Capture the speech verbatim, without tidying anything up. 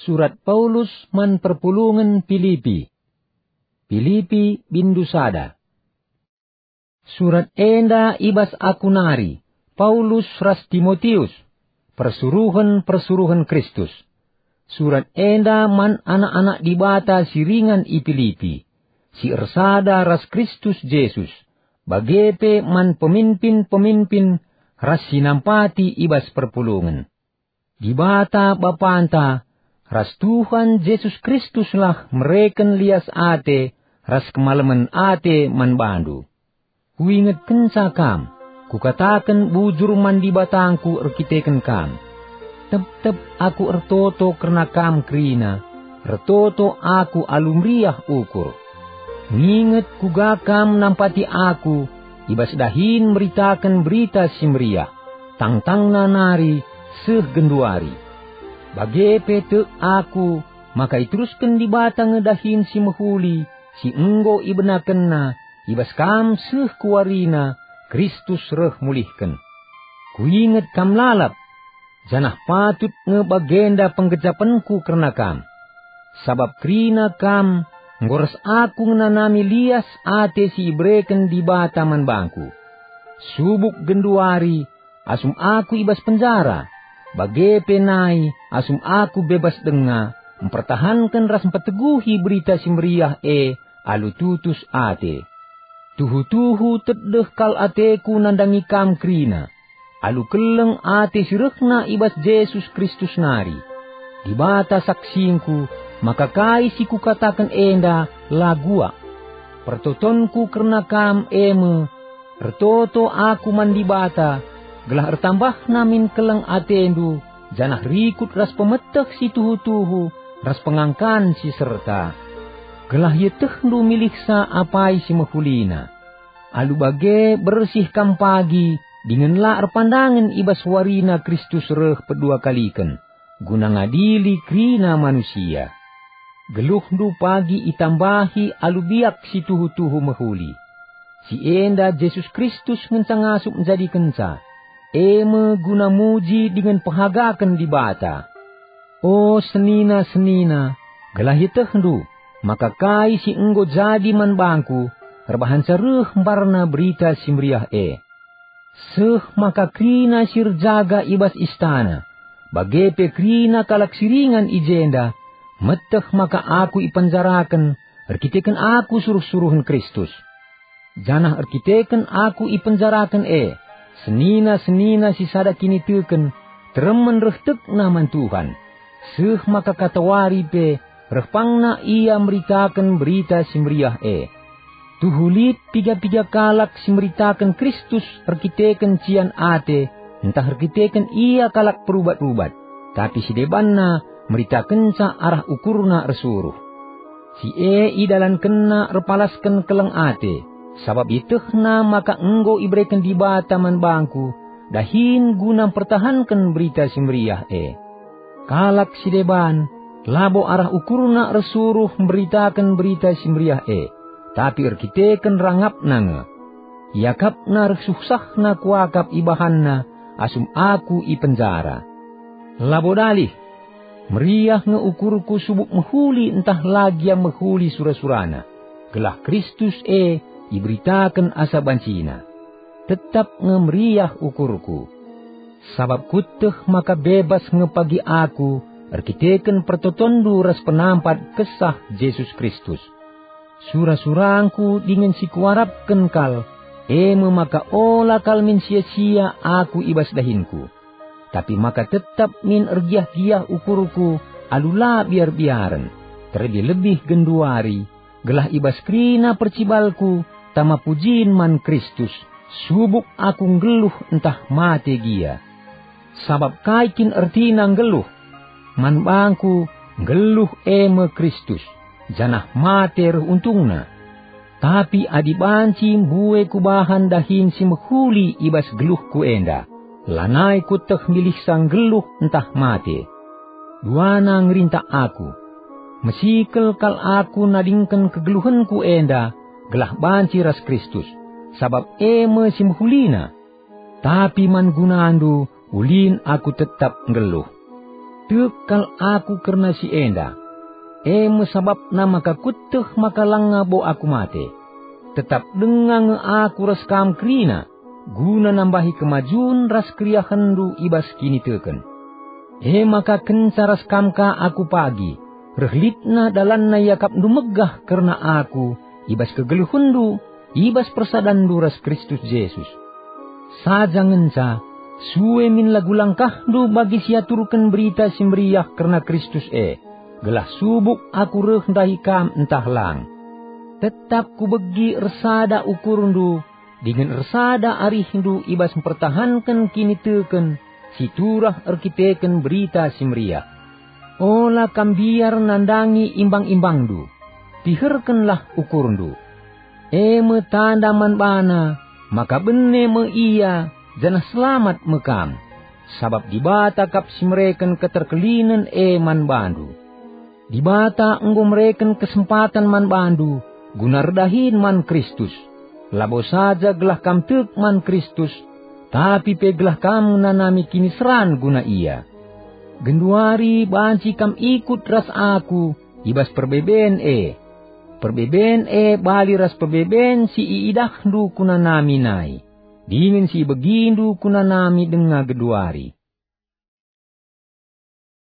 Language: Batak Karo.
Surat Paulus man perpulungen Pilipi. Pilipi, bindu sada. Surat enda i bas aku nari, Paulus ras Timotius, persuruhen-persuruhen Kristus. Surat enda man anak-anak Dibata si ringan i Pilipi, si ersada ras Kristus Jesus, bage pe man peminpin-peminpin ras si nampati i bas perpulungen. Dibata Bapanta ras Tuhan Jesus Kristuslah mereken lias ate ras kemalemen ate man bandu. Kuingetkenca kam, kukataken bujur man Dibatangku erkiteken kam. Tep-tep aku ertoto kerna kam kerina, ertoto aku alu meriah ukur. Nginget kuga kam nampati aku i bas dahin meritaken Berita Si Meriah, tangtangna nari seh genduari. Bage pe tek aku maka iterusken Dibata nge dahin si mehuli si enggo ibenakenNa i bas kam seh ku warina Kristus reh mulihken. Kuinget kam lalap, janah patut nge bagenda penggejapenku kerna kam. Sabap kerina kam enggo ras aku ngenanami lias ate si ibereken Dibata man bangku. Subuk genduari asum aku i bas penjara, bage pe nai asum aku bebas denga, mpertahanken ras mpeteguhi Berita Si Meriah e alu tutus ate. Tuhu-tuhu tedeh kal ateku nandangi kam kerina, alu keleng ate si rehna i bas Jesus Kristus nari. Dibata saksingku maka kai si kukataken enda la guak. Pertotonku kerna kam e me, ertoto aku man Dibata, gelah ertambahna min keleng atendu, janah rikut ras pemeteh si tuhu-tuhu ras pengangkan si serta. Gelah ietehndu milihsa apai si mehulina. Alu bage bersih kam pagi dingen la erpandangen i bas warina Kristus reh pedua kaliken, guna ngadili kerina manusia. Geluhndu pagi itambahi alu biak si tuhu-tuhu mehuli. Si enda Jesus Kristus ngenca ngasup njadikenca, e me guna muji dingen pehagaken Dibata. O senina-senina, gelah ietehndu maka kai si enggo jadi man bangku erbahanca reh mbarna Berita Si Meriah e. Seh maka kerina si erjaga i bas istana, bage pe kerina kalak si ringan i jenda, meteh maka aku ipenjaraken erkiteken aku suruh-suruhen Kristus. Janah erkiteken aku ipenjaraken e, senina-senina si sada kiniteken teremen reh tekna man Tuhan, seh maka katawari pe reh pangna ia meritaken Berita Si Meriah e. Tuhu lit piga-piga kalak si meritaken Kristus erkiteken cian ate ntah erkiteken ia kalak perubat-ubat, tapi si debanna meritakenca arah ukurna ersuruh. Si e idalankenna erpalasken keleng ate, sabap ietehna maka enggo ibereken Dibata man bangku dahin guna mpertahanken Berita Si Meriah e. Kalak si deban labo arah ukurna ersuruh mberitaken Berita Si Meriah e, tapi erkiteken rangapna nge. Iakapna reh suhsahna kuakap ibahanna asum aku i penjara. Labo dalih, meriah nge ukurku subuk mehuli ntah la gia mehuli sura-surana, gelah Kristus e iberitaken asa bancina. Tetap nge meriah ukurku. Sabap kueteh maka bebas nge pagi aku erkiteken pertotonndu ras penampat Kesah Jesus Kristus. Sura-surangku dingen si kuarapken kal, e me maka ola kal min sia-sia aku i bas dahinku. Tapi maka tetap min ergiah-giah ukurku alu la biar-biaren, terlebih-lebih genduari, gelah i bas kerina percibalku tama pujin man Kristus, subuk aku nggeluh ntah mate gia. Sabap kai kin ertina nggeluh? Man bangku, nggeluh e me Kristus, janah mate reh untungna. Tapi adi banci mbue kubahan dahin si mehuli i bas geluhku enda, lanai kueteh milihsa nggeluh ntah mate. Duana ngerintak aku. Mesikel kal aku nadingken kegeluhenku enda gelah banci ras Kristus, sabap e me si mehulina. Tapi man gunandu ulin aku tetap nggeluh. Tek kal aku kerna si enda, e me sabapna maka kueteh maka langa bo aku mate. Tetap denga nge aku ras kam kerina, guna nambahi kemajun ras keriahenndu i bas kiniteken. E maka kenca ras kam ka aku pagi, reh litna dalanna iakapndu megah kerna aku i bas kegeluhenndu, i bas persadanndu ras Kristus Jesus. Saja ngenca, sue min lagu langkahndu bagi si aturken Berita Si Meriah kerna Kristus e, gelah subuk aku reh ndahi kam ntah lang. Tetap kubegi ersada ukurndu dingen ersada arihndu i bas mpertahanken kiniteken si turah erkiteken Berita Si Meriah. Ola kam mbiar nandangi imbang-imbangndu. Piherkenlah ukurndu. E me tanda man bana maka bene me ia janah selamat me kam, sabap Dibata kap si mereken keterkelinen e man bandu. Dibata enggo mereken kesempatan man bandu guna erdahin man Kristus, labo saja gelah kam tek man Kristus, tapi pe gelah kam ngenanami kiniseran guna Ia. Genduari banci kam ikut ras aku i bas perbeben e. Perbeben e bali ras perbeben si iidahndu kunanami nai, dingen si ibegindu kunanami denga genduari.